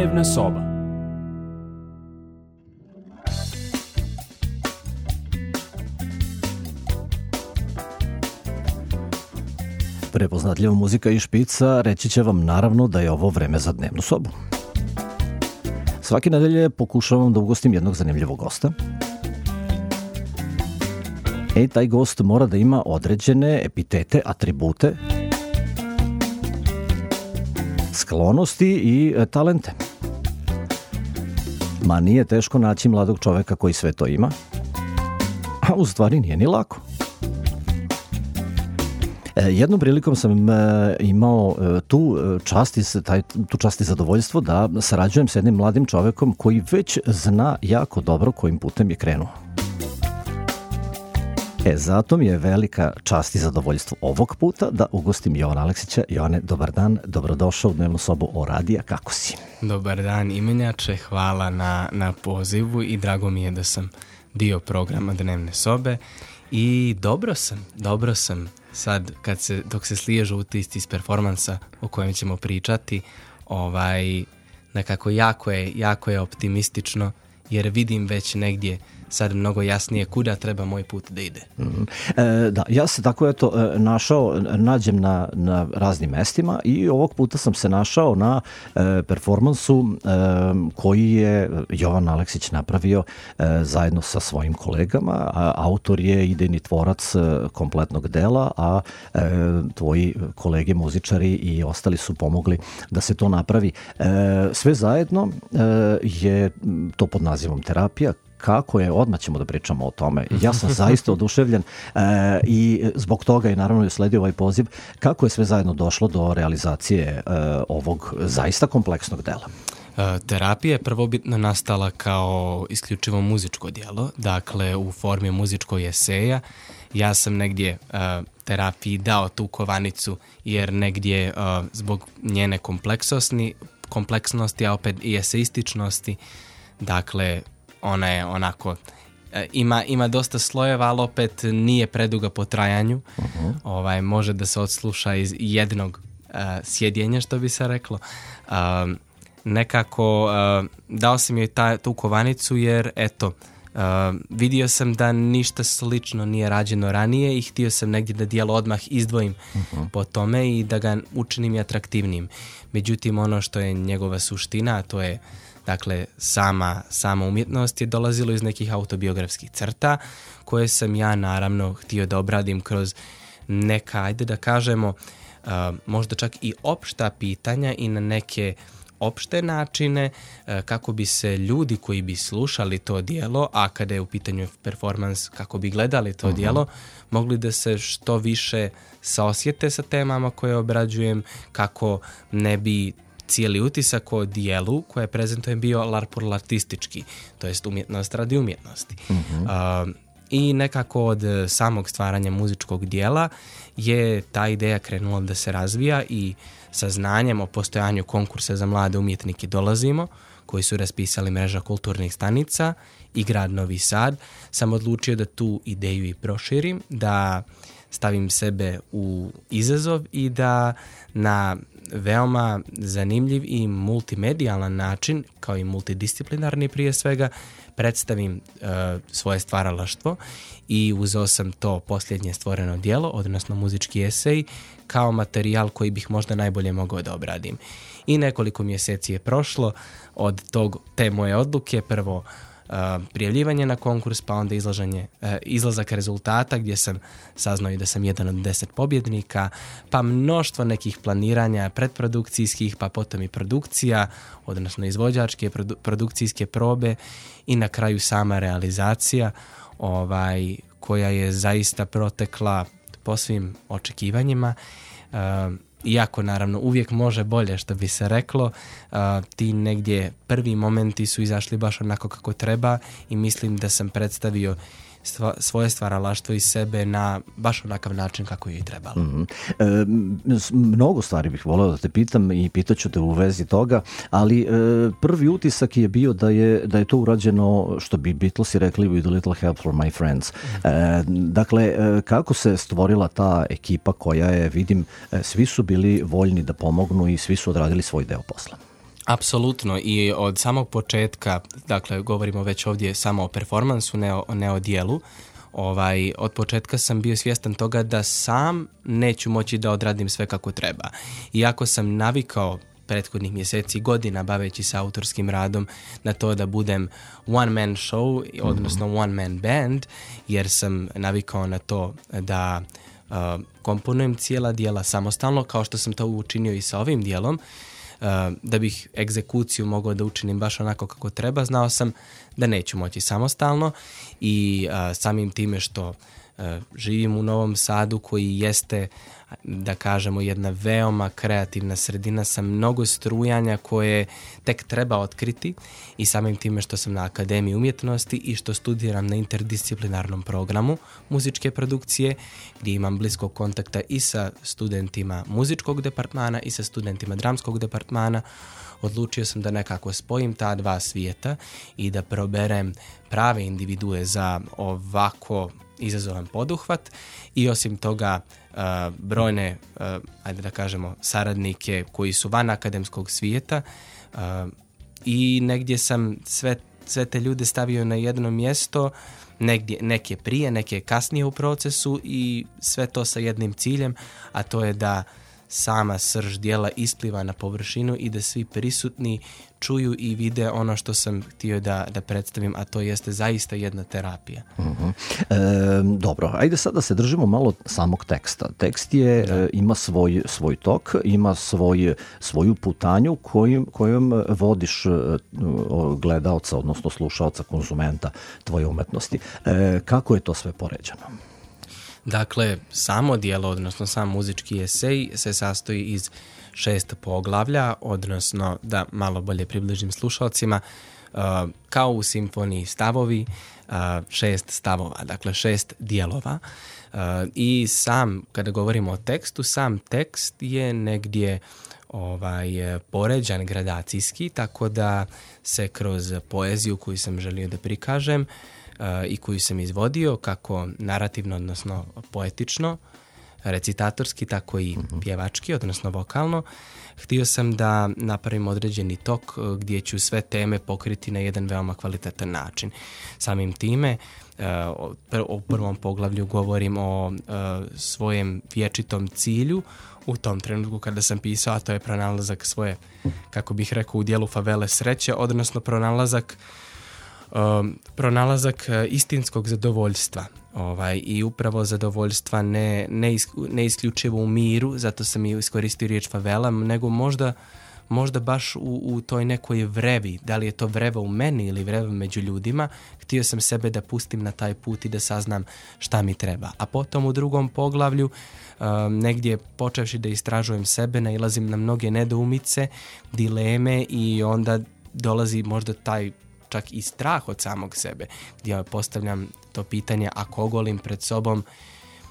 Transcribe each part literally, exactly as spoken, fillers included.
Dnevna soba. Prepoznatljiva muzika i špica reći će vam naravno da je ovo vreme za dnevnu sobu. Svake nedelje pokušavam da ugostim jednog zanimljivog gosta. E, taj gost mora da ima određene epitete, atribute, sklonosti i e, talente. Ma nije teško naći mladog čoveka koji sve to ima, a u stvari nije ni lako. Jednom prilikom sam imao tu čast i, taj, tu čast i zadovoljstvo da sarađujem s jednim mladim čovekom koji već zna jako dobro kojim putem je krenuo. E, zato mi je velika čast i zadovoljstvo ovog puta da ugostim Jovana Aleksića. Jovane, dobar dan, dobrodošao u dnevnu sobu O Radija, kako si? Dobar dan, imenjače, hvala na, na pozivu i drago mi je da sam dio programa Dnevne sobe i dobro sam, dobro sam. Sad, kad se, dok se sliježu utisci iz performansa o kojem ćemo pričati, ovaj, nekako jako je, jako je optimistično, jer vidim već negdje sad mnogo jasnije kuda treba moj put da ide. Mm. E, da, ja se tako eto našao, nađem na, na raznim mestima i ovog puta sam se našao na e, performansu e, koji je Jovan Aleksić napravio e, zajedno sa svojim kolegama. A, autor je idejni tvorac e, kompletnog dela, a e, tvoji kolege muzičari i ostali su pomogli da se to napravi. E, sve zajedno e, je to pod nazivom Terapija. Kako je, odmah ćemo da pričamo o tome. Ja sam zaista oduševljen e, i zbog toga je naravno usledio ovaj poziv. Kako je sve zajedno došlo do realizacije e, ovog zaista kompleksnog dela? E, terapija je prvobitno nastala kao isključivo muzičko djelo, dakle u formi muzičkog eseja. Ja sam negdje e, terapiji dao tu kovanicu jer negdje e, zbog njene kompleksnosti, kompleksnosti, a opet i eseističnosti, dakle ona je onako, ima, ima dosta slojeva, ali opet nije preduga po trajanju. Uh-huh. Ovaj, može da se odsluša iz jednog uh, sjedjenja, što bi se reklo. Uh, nekako uh, dao sam joj ta, tu kovanicu jer, eto, uh, vidio sam da ništa slično nije rađeno ranije i htio sam negdje da dijelo odmah izdvojim uh-huh. po tome i da ga učinim i atraktivnijim. Međutim, ono što je njegova suština, a to je dakle, sama, sama umjetnost je dolazilo iz nekih autobiografskih crta koje sam ja naravno htio da obradim kroz neka, ajde da kažemo, uh, možda čak i opšta pitanja i na neke opšte načine uh, kako bi se ljudi koji bi slušali to djelo, a kada je u pitanju performans, kako bi gledali to uh-huh. djelo, mogli da se što više saosjete sa temama koje obrađujem, kako ne bi cijeli utisak o dijelu koje prezentujem bio l'art pour l'artistički, to jest umjetnost radi umjetnosti. Mm-hmm. Uh, I nekako od samog stvaranja muzičkog dijela je ta ideja krenula da se razvija i sa znanjem o postojanju konkursa za mlade umjetnike Dolazimo, koji su raspisali mreža kulturnih stanica i grad Novi Sad, sam odlučio da tu ideju i proširim, da stavim sebe u izazov i da na veoma zanimljiv i multimedijalan način, kao i multidisciplinarni prije svega, predstavim uh, svoje stvaralaštvo i uzeo sam to posljednje stvoreno djelo, odnosno muzički esej, kao materijal koji bih možda najbolje mogao da obradim. I nekoliko mjeseci je prošlo od tog, te moje odluke, prvo Uh, prijavljivanje na konkurs, pa onda izlaženje, uh, izlazak rezultata gdje sam saznao i da sam jedan od deset pobjednika, pa mnoštvo nekih planiranja predprodukcijskih, pa potom i produkcija, odnosno izvođačke produ- produkcijske probe i na kraju sama realizacija ovaj, koja je zaista protekla po svim očekivanjima. Uh, Iako naravno uvijek može bolje, što bi se reklo, uh, ti negdje prvi momenti su izašli baš onako kako treba i mislim da sam predstavio stva, svoje stvaralaštvo iz sebe na baš onakav način kako je i trebalo. Mm-hmm. E, mnogo stvari bih voleo da te pitam i pitaću te u vezi toga, ali e, prvi utisak je bio da je, da je to urađeno, što bi Beatlesi rekli, with a little help from my friends. E, dakle, e, kako se stvorila ta ekipa koja je, vidim, e, svi su bili voljni da pomognu i svi su odradili svoj deo posla? Apsolutno, i od samog početka, dakle govorimo već ovdje samo o performansu, ne o, ne o dijelu, ovaj, od početka sam bio svjestan toga da sam neću moći da odradim sve kako treba. Iako sam navikao prethodnih mjeseci, godina baveći se autorskim radom na to da budem one man show, odnosno one man band, jer sam navikao na to da uh, komponujem cijela dijela samostalno, kao što sam to učinio i sa ovim dijelom. Uh, da bih egzekuciju mogao da učinim baš onako kako treba, znao sam da neću moći samostalno i uh, samim time što uh, živim u Novom Sadu koji jeste, da kažemo, jedna veoma kreativna sredina sa mnogo strujanja koje tek treba otkriti, i samim time što sam na Akademiji umjetnosti i što studiram na interdisciplinarnom programu muzičke produkcije, gdje imam bliskog kontakta i sa studentima muzičkog departmana i sa studentima dramskog departmana, odlučio sam da nekako spojim ta dva svijeta i da proberem prave individue za ovako izazovan poduhvat, i osim toga uh, brojne, uh, ajde da kažemo, saradnike koji su van akademskog svijeta, uh, i negdje sam sve, sve te ljude stavio na jedno mjesto, negdje, neke prije, neke kasnije u procesu, i sve to sa jednim ciljem, a to je da sama srž dijela ispliva na površinu i da svi prisutni čuju i vide ono što sam htio da, da predstavim, a to jeste zaista jedna terapija. Uh-huh. E, dobro, ajde sad da se držimo malo samog teksta. Tekst je, e, ima svoj, svoj tok, ima svoj, svoju putanju kojim, kojom vodiš e, gledaoca, odnosno slušaoca, konzumenta tvoje umetnosti. E, kako je to sve poređano? Dakle, samo dijelo, odnosno sam muzički esej se sastoji iz šest poglavlja, odnosno, da malo bolje približim slušalcima, uh, kao u simfoniji stavovi, uh, šest stavova, dakle šest dijelova. Uh, I sam, kada govorimo o tekstu, sam tekst je negdje ovaj, poređan gradacijski, tako da se kroz poeziju koju sam želio da prikažem uh, i koju sam izvodio, kako narativno, odnosno poetično, recitatorski, tako i pjevački, odnosno vokalno, htio sam da napravim određeni tok gdje ću sve teme pokriti na jedan veoma kvalitetan način. Samim time, u prvom poglavlju govorim o svojem vječitom cilju u tom trenutku kada sam pisao, a to je pronalazak svoje, kako bih rekao, u dijelu favele sreće, odnosno pronalazak Um, pronalazak istinskog zadovoljstva, ovaj, i upravo zadovoljstva ne, ne, is, ne isključivo u miru, zato sam i iskoristio riječ favela, nego možda, možda baš u, u toj nekoj vrevi, da li je to vreva u meni ili vreva među ljudima. Htio sam sebe da pustim na taj put i da saznam šta mi treba. A potom u drugom poglavlju, um, negdje počevši da istražujem sebe, nailazim na mnoge nedoumice, dileme, i onda dolazi možda taj čak i strah od samog sebe, gdje postavljam to pitanje, ako ogolim pred sobom,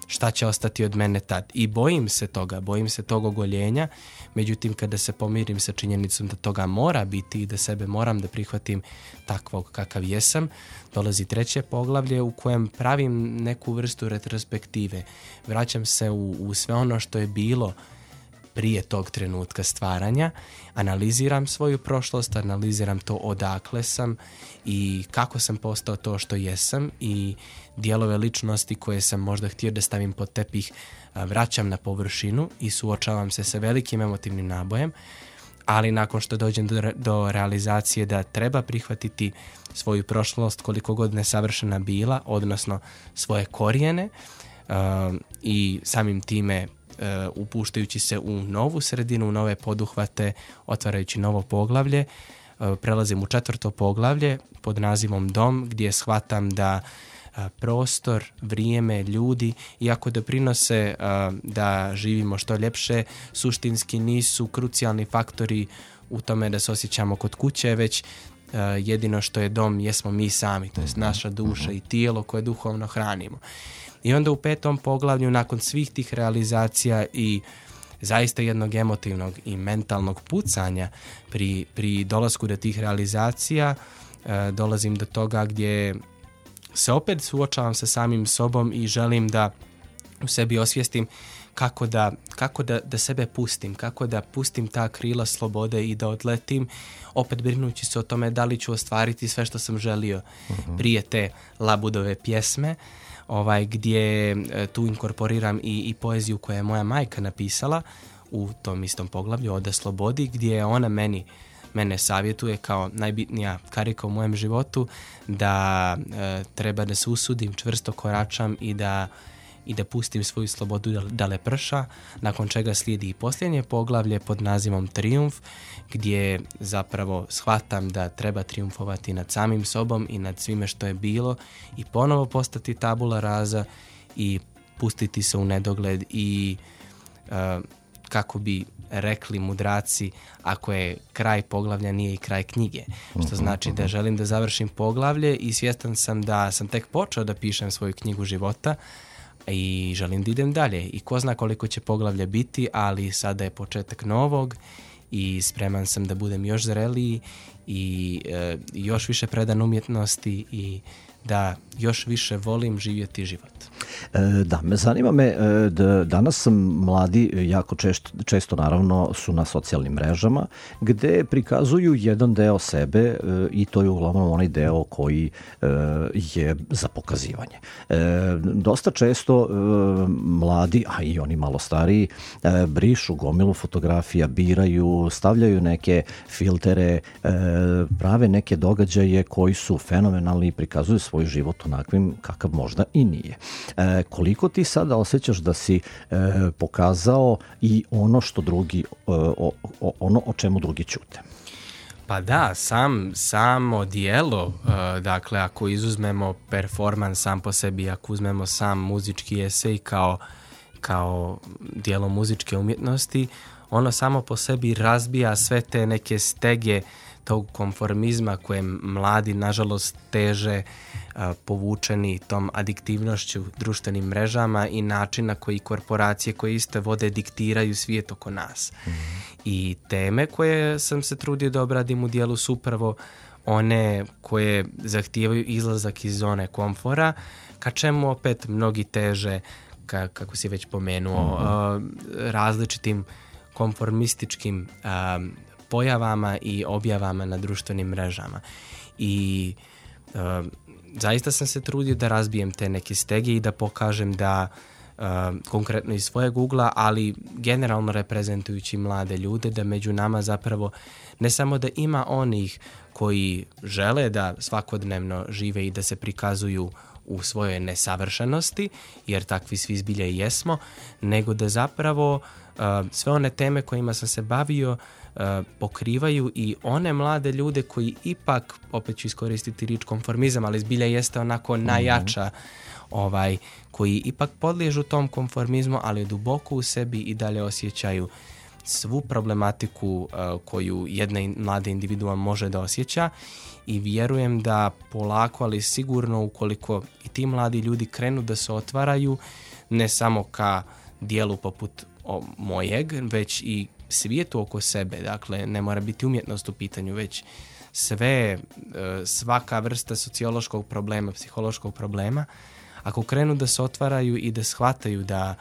šta će ostati od mene tad? I bojim se toga, bojim se tog ogoljenja, međutim kada se pomirim sa činjenicom da toga mora biti i da sebe moram da prihvatim takvog kakav jesam, dolazi treće poglavlje u kojem pravim neku vrstu retrospektive. Vraćam se u, u sve ono što je bilo prije tog trenutka stvaranja, analiziram svoju prošlost, analiziram to odakle sam i kako sam postao to što jesam, i dijelove ličnosti koje sam možda htio da stavim pod tepih vraćam na površinu i suočavam se sa velikim emotivnim nabojem, ali nakon što dođem do, do realizacije da treba prihvatiti svoju prošlost koliko god nesavršena bila, odnosno svoje korijene, uh, i samim time Uh, upuštajući se u novu sredinu, u nove poduhvate, otvarajući novo poglavlje, uh, prelazim u četvrto poglavlje pod nazivom Dom, gdje shvatam da uh, prostor, vrijeme, ljudi, iako doprinose uh, da živimo što ljepše, suštinski nisu krucijalni faktori u tome da se osjećamo kod kuće, već uh, jedino što je dom jesmo mi sami, to jest naša duša i tijelo koje duhovno hranimo. I onda u petom poglavlju, nakon svih tih realizacija i zaista jednog emotivnog i mentalnog pucanja pri, pri dolasku do tih realizacija, e, dolazim do toga gdje se opet suočavam sa samim sobom i želim da u sebi osvijestim kako da, kako da, da sebe pustim, kako da pustim ta krila slobode i da odletim, opet brinući se o tome da li ću ostvariti sve što sam želio uh-huh. prije te Labudove pjesme, ovaj, gdje e, tu inkorporiram i, i poeziju koju je moja majka napisala u tom istom poglavlju Oda slobodi, gdje ona meni mene savjetuje kao najbitnija karika u mojem životu da e, treba da se usudim, čvrsto koračam i da i da pustim svoju slobodu da, da leprša, nakon čega slijedi i posljednje poglavlje pod nazivom Trijumf, gdje zapravo shvatam da treba trijumfovati nad samim sobom i nad svime što je bilo i ponovo postati tabula rasa i pustiti se u nedogled i uh, kako bi rekli mudraci, ako je kraj poglavlja nije i kraj knjige. Što znači da želim da završim poglavlje i svjestan sam da sam tek počeo da pišem svoju knjigu života i želim da idem dalje. I ko zna koliko će poglavlja biti, ali sada je početak novog i spreman sam da budem još zreliji i e, još više predan umjetnosti i da još više volim živjeti život. E, da, me zanima me, da danas mladi jako često, često naravno su na socijalnim mrežama gde prikazuju jedan deo sebe e, i to je uglavnom onaj deo koji e, je za pokazivanje. E, dosta često e, mladi, a i oni malo stariji, e, brišu gomilu fotografija, biraju, stavljaju neke filtere, e, prave neke događaje koji su fenomenalni i prikazuju svoj život onakvim kakav možda i nije. E, koliko ti sada osjećaš da si e, pokazao i ono što drugi, e, o, o, ono o čemu drugi ćute? Pa da, sam, samo dijelo, e, dakle ako izuzmemo performans sam po sebi, ako uzmemo sam muzički esej kao, kao dijelo muzičke umjetnosti, ono samo po sebi razbija sve te neke stege tog konformizma koje mladi nažalost teže a, povučeni tom adiktivnošću društvenim mrežama i način na koji korporacije koje iste vode diktiraju svijet oko nas. Mm-hmm. I teme koje sam se trudio da obradim u dijelu su upravo one koje zahtijevaju izlazak iz zone komfora, ka čemu opet mnogi teže, ka, kako si već pomenuo, mm-hmm. a, različitim konformističkim a, pojavama i objavama na društvenim mrežama. I e, zaista sam se trudio da razbijem te neke stege i da pokažem da e, konkretno iz svojeg ugla, ali generalno reprezentujući mlade ljude, da među nama zapravo ne samo da ima onih koji žele da svakodnevno žive i da se prikazuju u svojoj nesavršenosti, jer takvi svi zbilja i jesmo, nego da zapravo uh, sve one teme kojima sam se bavio uh, pokrivaju i one mlade ljude koji ipak, opet ću iskoristiti riječ konformizam, ali zbilja jeste onako najjača, ovaj, koji ipak podliježu tom konformizmu, ali duboko u sebi i dalje osjećaju svu problematiku uh, koju jedna mlada individua može da osjeća. I vjerujem da polako, ali sigurno, ukoliko i ti mladi ljudi krenu da se otvaraju, ne samo ka dijelu poput o, mojeg, već i svijetu oko sebe. Dakle, ne mora biti umjetnost u pitanju, već sve, svaka vrsta sociološkog problema, psihološkog problema. Ako krenu da se otvaraju i da shvataju da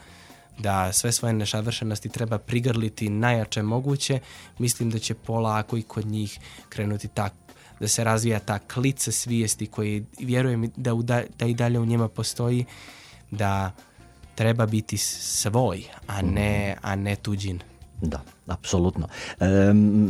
da sve svoje nesavršenosti treba prigrliti najjače moguće, mislim da će polako i kod njih krenuti tako da se razvija ta klica svijesti koji vjerujem da, uda, da i dalje u njima postoji, da treba biti svoj, a ne, a ne tuđin. Da, apsolutno. E,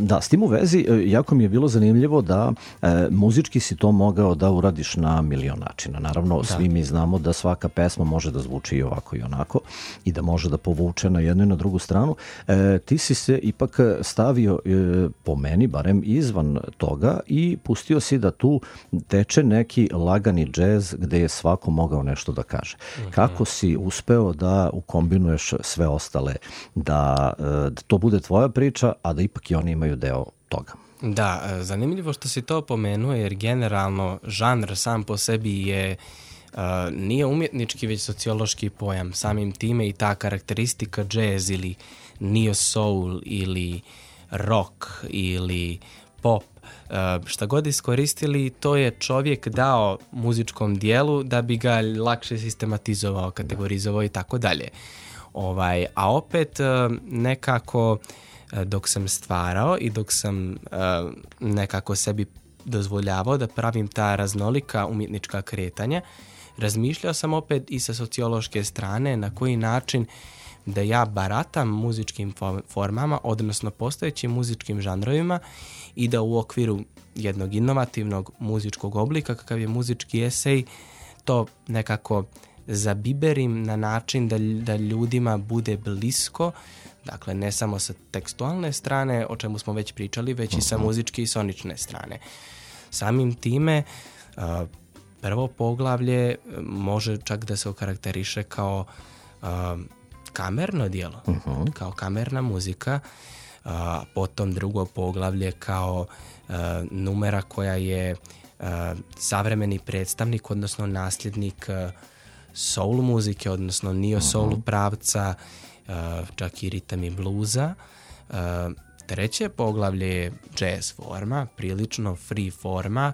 da, s tim u vezi, jako mi je bilo zanimljivo da e, muzički si to mogao da uradiš na milion načina. Naravno, da. Svi mi znamo da svaka pesma može da zvuči i ovako i onako i da može da povuče na jednu i na drugu stranu. E, ti si se ipak stavio, e, po meni, barem izvan toga i pustio si da tu teče neki lagani džez gde je svako mogao nešto da kaže. Mm-hmm. Kako si uspeo da ukombinuješ sve ostale, da, da to bude tvoja priča, a da ipak i oni imaju deo toga? Da, zanimljivo što si to pomenuo, jer generalno žanr sam po sebi je uh, nije umjetnički, već sociološki pojam. Samim time i ta karakteristika jazz ili neo soul ili rock ili pop, uh, šta god iskoristili, to je čovjek dao muzičkom dijelu da bi ga lakše sistematizovao, kategorizovao i tako dalje. Ovaj, a opet nekako dok sam stvarao i dok sam nekako sebi dozvoljavao da pravim ta raznolika umjetnička kretanja, razmišljao sam opet i sa sociološke strane na koji način da ja baratam muzičkim formama, odnosno postojećim muzičkim žanrovima i da u okviru jednog inovativnog muzičkog oblika, kakav je muzički esej, to nekako zabiberim na način da, da ljudima bude blisko, dakle ne samo sa tekstualne strane, o čemu smo već pričali, već i sa muzičke i sonične strane. Samim time, prvo poglavlje može čak da se okarakteriše kao kamerno djelo, uh-huh. kao kamerna muzika, a potom drugo poglavlje kao a, numera koja je a, savremeni predstavnik, odnosno nasljednik a, soul muzike, odnosno neo soul uh-huh. pravca, a, čak i ritam i bluza. A, treće poglavlje je jazz forma, prilično free forma,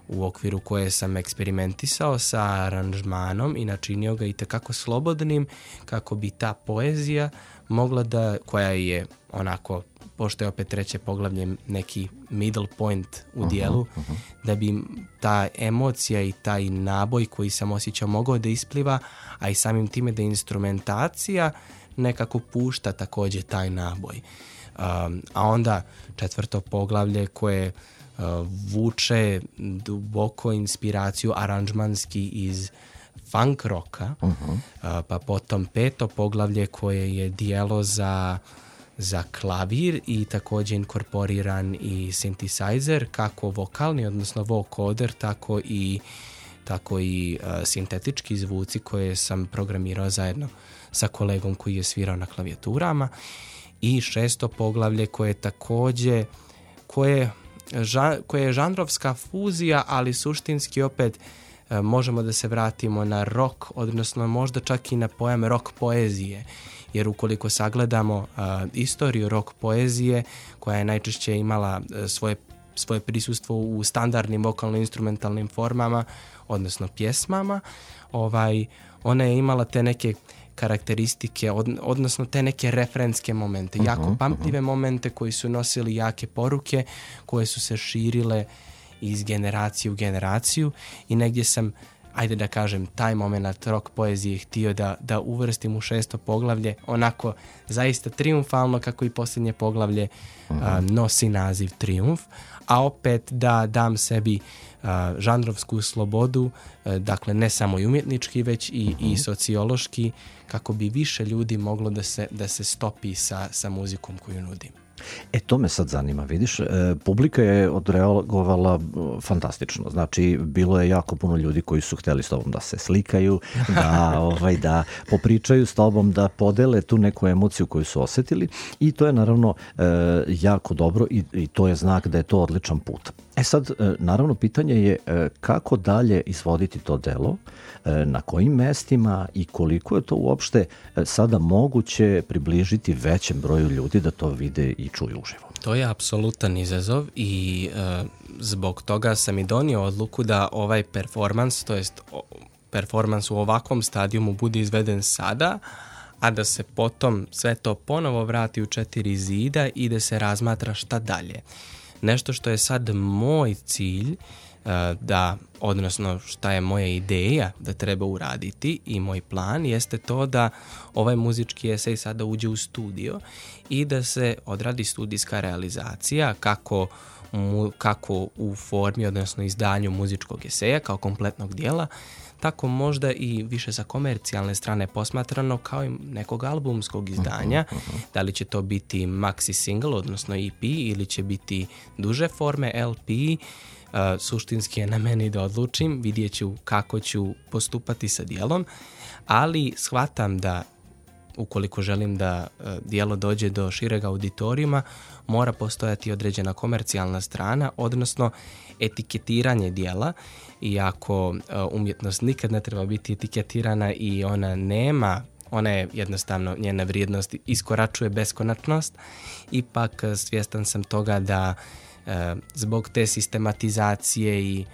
u okviru koje sam eksperimentisao sa aranžmanom i načinio ga i tekako slobodnim kako bi ta poezija mogla da, koja je onako, pošto je opet treće poglavlje neki middle point u dijelu, uh-huh, uh-huh. da bi ta emocija i taj naboj koji sam osjećao mogao da ispliva, a i samim time da instrumentacija nekako pušta također taj naboj. Um, a onda četvrto poglavlje koje Uh, vuče duboko inspiraciju aranžmanski iz funk roka, uh-huh. uh, pa potom peto poglavlje koje je dijelo za, za klavir i također inkorporiran i synthesizer, kako vokalni, odnosno vocoder, tako i, tako i uh, sintetički zvuci koje sam programirao zajedno sa kolegom koji je svirao na klavijaturama, i šesto poglavlje koje također koje koja je žanrovska fuzija, ali suštinski opet e, možemo da se vratimo na rock, odnosno možda čak i na pojam rock poezije, jer ukoliko sagledamo a, istoriju rock poezije, koja je najčešće imala a, svoje, svoje prisustvo u standardnim vokalno-instrumentalnim formama, odnosno pjesmama, ovaj, ona je imala te neke karakteristike, od, odnosno te neke referenske momente, uh-huh, jako pamtljive uh-huh. momente koji su nosili jake poruke, koje su se širile iz generacije u generaciju, i negdje sam, ajde da kažem, taj moment rock poezije htio da, da uvrstim u šesto poglavlje, onako zaista triumfalno, kako i posljednje poglavlje uh-huh. a, nosi naziv Triumf, a opet da dam sebi a, žanrovsku slobodu, a, dakle ne samo i umjetnički, već i, uh-huh. i sociološki, kako bi više ljudi moglo da se, da se stopi sa, sa muzikom koju nudim. E, to me sad zanima, vidiš, e, publika je odreagovala fantastično, znači bilo je jako puno ljudi koji su htjeli s tobom da se slikaju, da, ovaj, da popričaju s tobom, da podele tu neku emociju koju su osjetili, i to je naravno e, jako dobro, i, i to je znak da je to odličan put. E sad, e, naravno, pitanje je e, kako dalje izvoditi to delo, e, na kojim mestima i koliko je to uopšte e, sada moguće približiti većem broju ljudi da to vide i čuju uživo. To je apsolutan izazov i e, zbog toga sam i donio odluku da ovaj performans, to jest o, performans u ovakvom stadijumu bude izveden sada, a da se potom sve to ponovo vrati u četiri zida i da se razmatra šta dalje. Nešto što je sad moj cilj, da, odnosno šta je moja ideja da treba uraditi i moj plan, jeste to da ovaj muzički esej sada uđe u studio i da se odradi studijska realizacija, kako, mu, kako u formi, odnosno izdanju muzičkog eseja kao kompletnog dijela, tako možda i više sa komercijalne strane posmatrano kao i nekog albumskog izdanja. Uh-huh, uh-huh. Da li će to biti maxi single, odnosno E P, ili će biti duže forme L P, uh, suštinski je na meni da odlučim, vidjet ću kako ću postupati sa dijelom, ali shvatam da ukoliko želim da uh, dijelo dođe do šireg auditorijuma, mora postojati određena komercijalna strana, odnosno etiketiranje dijela, iako uh, umjetnost nikad ne treba biti etiketirana i ona nema, ona je jednostavno, njena vrijednost iskoračuje beskonačnost, ipak svjestan sam toga da uh, zbog te sistematizacije i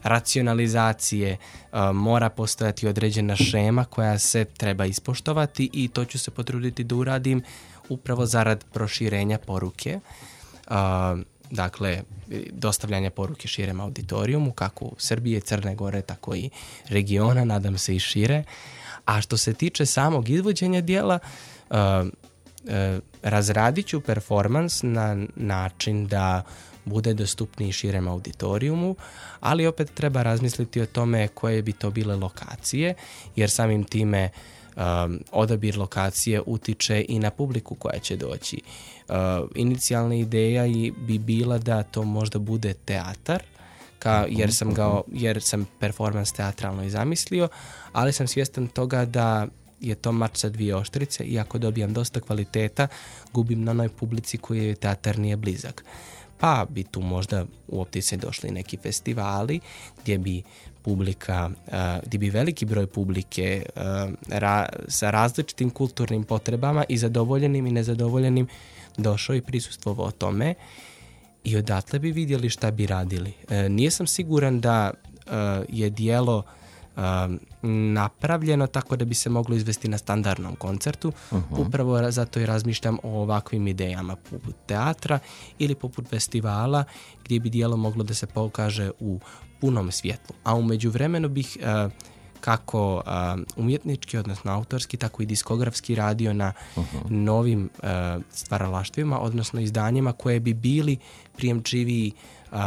racionalizacije, uh, mora postojati određena šema koja se treba ispoštovati i to ću se potruditi da uradim upravo zarad proširenja poruke. Uh, dakle, dostavljanja poruke širem auditorijumu, kako u Srbije, Crne Gore, tako i regiona, nadam se i šire. A što se tiče samog izvođenja dijela, uh, uh, razradit ću performans na način da bude dostupniji širem auditorijumu, ali opet treba razmisliti o tome koje bi to bile lokacije, jer samim time um, odabir lokacije utiče i na publiku koja će doći. Uh, inicijalna ideja bi bila da to možda bude teatar, ka, jer, sam ga, jer sam performans teatralno i zamislio, ali sam svjestan toga da je to mač sa dvije oštrice i ako dobijam dosta kvaliteta, gubim na onoj publici koji je teatar nije blizak. Pa bi tu možda u optice došli neki festivali gdje bi publika, uh, gdje bi veliki broj publike uh, ra, sa različitim kulturnim potrebama i zadovoljenim i nezadovoljenim došao i prisustvovao tome i odatle bi vidjeli šta bi radili. Uh, nisam siguran da uh, je dijelo Um, napravljeno tako da bi se moglo izvesti na standardnom koncertu. Uh-huh. Upravo zato i razmišljam o ovakvim idejama poput teatra ili poput festivala gdje bi dijelo moglo da se pokaže u punom svjetlu. A u međuvremenu bih uh, kako uh, umjetnički, odnosno autorski, tako i diskografski radio na uh-huh. novim uh, stvaralaštvima, odnosno izdanjima koje bi bili prijemčiviji uh,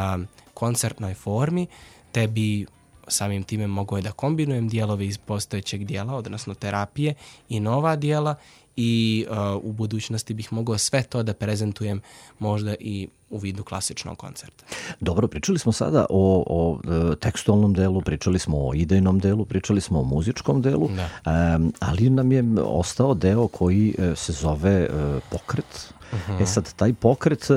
koncertnoj formi, te bi samim time mogu je da kombinujem dijelove iz postojećeg dijela, odnosno terapije i nova dijela i uh, u budućnosti bih mogao sve to da prezentujem možda i u vidu klasičnog koncerta. Dobro, pričali smo sada o, o tekstualnom delu, pričali smo o idejnom delu, pričali smo o muzičkom delu, um, ali nam je ostao deo koji se zove uh, pokret. Uh-huh. E sad, taj pokret e,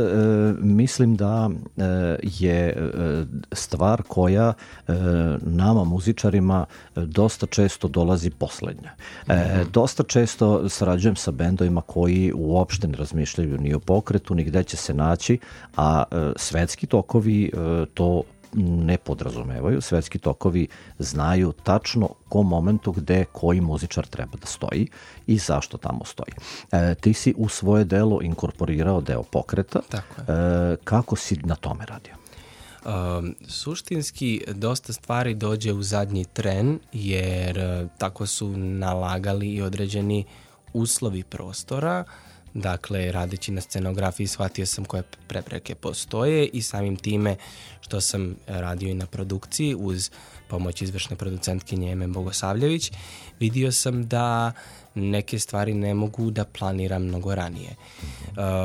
mislim da e, je e, stvar koja e, nama muzičarima dosta često dolazi poslednja. E, uh-huh. Dosta često sarađujem sa bendovima koji uopšte ne razmišljaju ni o pokretu, ni gde će se naći, a e, svetski tokovi e, to ne podrazumevaju. Svetski tokovi znaju tačno ko momentu gde koji muzičar treba da stoji i zašto tamo stoji. E, ti si u svoje delo inkorporirao deo pokreta. Tako je. E, kako si na tome radio? Um, suštinski dosta stvari dođe u zadnji tren jer uh, tako su nalagali i određeni uslovi prostora. Dakle, radeći na scenografiji shvatio sam koje prepreke postoje i samim time što sam radio i na produkciji uz pomoć izvršne producentkinje Eme Bogosavljević, vidio sam da neke stvari ne mogu da planiram mnogo ranije.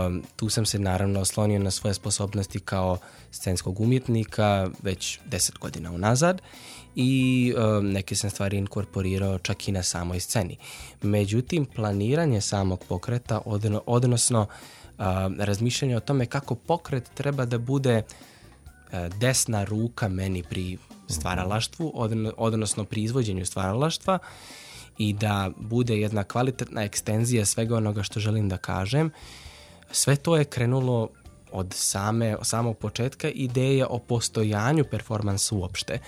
Um, tu sam se naravno oslonio na svoje sposobnosti kao scenskog umjetnika već deset godina unazad i um, neke sam stvari inkorporirao čak i na samoj sceni. Međutim, planiranje samog pokreta, odno, odnosno uh, razmišljanje o tome kako pokret treba da bude uh, desna ruka meni pri stvaralaštvu, odno, odnosno pri izvođenju stvaralaštva i da bude jedna kvalitetna ekstenzija svega onoga što želim da kažem. Sve to je krenulo od same, samog početka ideje o postojanju performansa uopšte.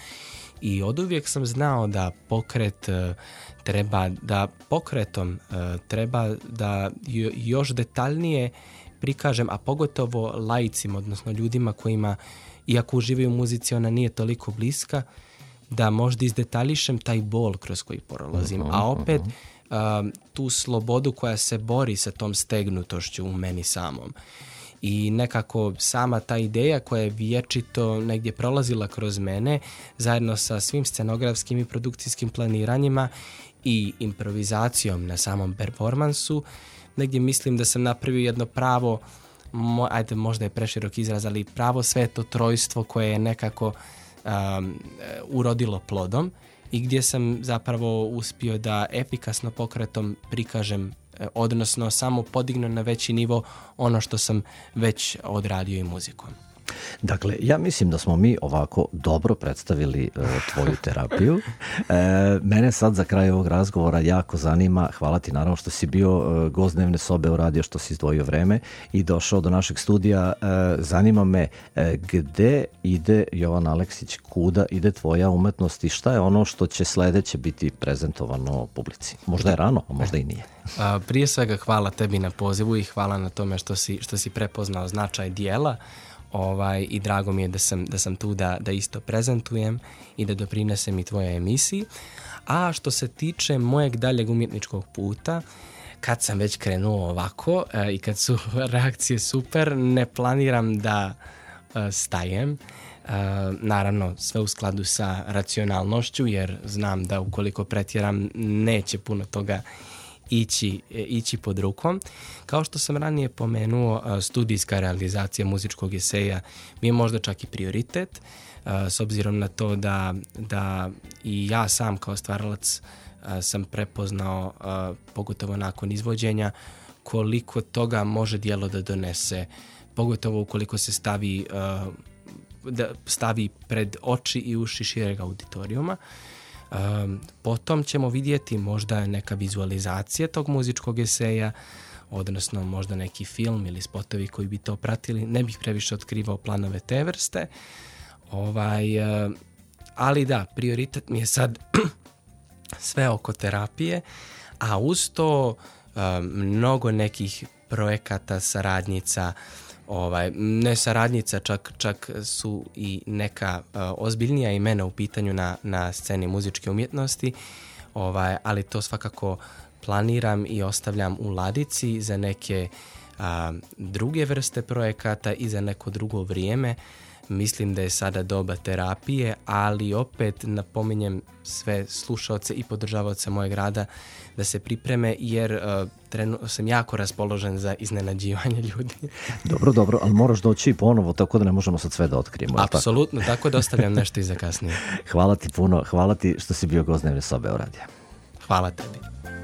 I oduvijek sam znao da pokret uh, treba, da pokretom uh, treba da još detaljnije prikažem, a pogotovo laicima, odnosno ljudima kojima, iako uživaju u muzici, ona nije toliko bliska, da možda izdetaljišem taj bol kroz koji prolazim, uh-huh, a opet uh-huh. uh, tu slobodu koja se bori sa tom stegnutošću u meni samom. I nekako sama ta ideja koja je vječito negdje prolazila kroz mene, zajedno sa svim scenografskim i produkcijskim planiranjima i improvizacijom na samom performansu, negdje mislim da sam napravio jedno pravo, mo, ajde možda je preširok izraz, ali pravo sveto trojstvo koje je nekako um, urodilo plodom i gdje sam zapravo uspio da efikasno pokretom prikažem, odnosno samo podignu na veći nivo ono što sam već odradio i muzikom. Dakle, ja mislim da smo mi ovako dobro predstavili uh, tvoju terapiju. E, mene sad za kraj ovog razgovora jako zanima, hvala ti naravno što si bio uh, gost Dnevne sobe u radio, što si izdvojio vreme i došao do našeg studija. E, zanima me uh, gde ide Jovan Aleksić, kuda ide tvoja umetnost i šta je ono što će sledeće biti prezentovano publici? Možda je rano, a možda i nije. A, prije svega hvala tebi na pozivu i hvala na tome što si, što si prepoznao značaj dijela. Ovaj, i drago mi je da sam, da sam tu da, da isto prezentujem i da doprinesem i tvojoj emisiji. A što se tiče mojeg daljeg umjetničkog puta, kad sam već krenuo ovako e, i kad su reakcije super, ne planiram da e, stajem. E, naravno, sve u skladu sa racionalnošću, jer znam da ukoliko pretjeram neće puno toga Ići, ići pod rukom. Kao što sam ranije pomenuo, studijska realizacija muzičkog eseja mi je možda čak i prioritet, s obzirom na to da, da i ja sam kao stvaralac sam prepoznao, pogotovo nakon izvođenja, koliko toga može djelo da donese, pogotovo ukoliko se stavi, da stavi pred oči i uši šireg auditorijuma. Um, potom ćemo vidjeti možda neka vizualizacija tog muzičkog eseja, odnosno možda neki film ili spotovi koji bi to pratili. Ne bih previše otkrivao planove te vrste. Ovaj, uh, ali da, prioritet mi je sad sve oko terapije, a uz to um, mnogo nekih projekata, saradnjica, Ovaj, ne saradnjica, čak, čak su i neka uh, ozbiljnija imena u pitanju na, na sceni muzičke umjetnosti, ovaj, ali to svakako planiram i ostavljam u ladici za neke uh, druge vrste projekata i za neko drugo vrijeme. Mislim da je sada doba terapije, ali opet napominjem sve slušaoce i podržavaoce mojeg rada da se pripreme, jer uh, trenutno sam jako raspoložen za iznenađivanje ljudi. Dobro, dobro, ali moraš doći i ponovo, tako da ne možemo sad sve da otkrijemo. Apsolutno, tako? tako da ostavljam nešto i za kasnije. Hvala ti puno, hvala ti što si bio gost Dnevne sobe u radiju. Hvala tebi.